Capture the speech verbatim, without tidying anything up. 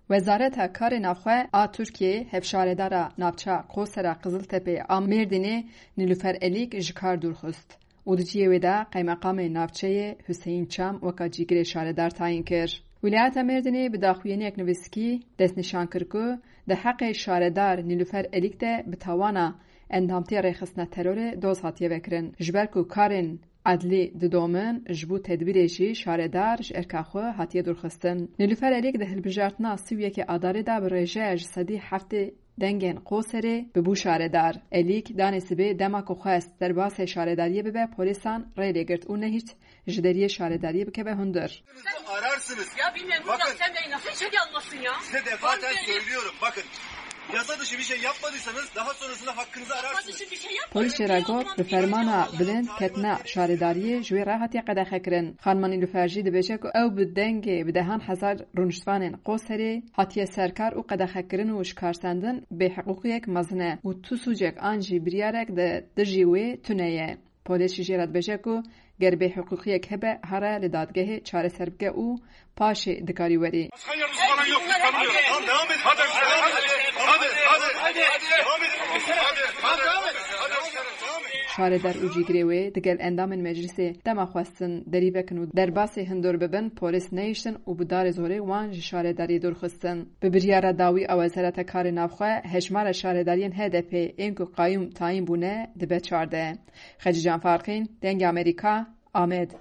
Wezareta Karê Navxwe a Tirkiyeyê hevşaredara navça Qosera Qiziltepeyê a Mêrdînê Nilüfer Elîk ji kar dûr xist û di cihê wê de qeymeqamê navçeyê Huseyîn Çam weka cîgirê şaredar tayîn kir. Wîlayeta Mêrdînê bi daxuyaniyek nivîskî destnîşan kir ku di heqê şaredar Nilüfer Elîk de bi tawana endamtiya rêxistina terorê doz hatiye vekirin, ji ber ku karên edlî didomin, ji bo tedbîrê jî şaredar ji erka xwe hatiye dûrxistin. Nilüfer Elîk di hilbijartina sî û yekê Adarê de bi rêjeya ji sedî heftê dengên Qoserê bibû şaredar. Elîk danê sibê dema ku xwest derbasê şaredariyê bibe, polîsan rê lê girt û nehîşt ji deriyê şaredariyê bikeve hundir. Ararsınız. Ya bilmiyorum, burada Bakın. Sen de nasıl şey anlasın ya? Size defaten söylüyorum. Bakın. Yasa dışı bir şey yapmadıysanız daha sonrasında hakkınızı ararsınız. Polîsê re got, bi fermana bilind ketina şaredariyê ji wê re hatiye qedexekirin. Xanima Nîlûfer jî dibêje ku ew bi dengê bi dehan hezar rûniştvanên Qoserê hatiye serkar û qedexekirin û ji kar sendin bêhiqûqiyek mezin e û tu sûcek an jî biryarek di dijî wê tune ye. Polîs jî jê re dibêje ku ger bêhiqûqiyek hebe, here li dadgehê çareser bike û paşê dikarî werî. Başka yardımcı falan yok, biz tanımıyoruz. Tamam, devam edin. Hadi, hadi, hadi, hadi, hadi, devam edin. Hadi, hadi, hadi, devam edin. Şaredar û cîgirê wê digel endamên meclisê dema xwestin derî vekin û derbasê hundir bibin, polîs nehiştin û bi darê zorê wan ji şaredariyê dûr xistin. Bi biryara dawî a Wezareta Karê Navxwe, hejmara şaredariyên H D P ên ku qayûm tayîn bûne dibe çardeh. Xecîcan Farqîn, Dengê Amerîka, Amed.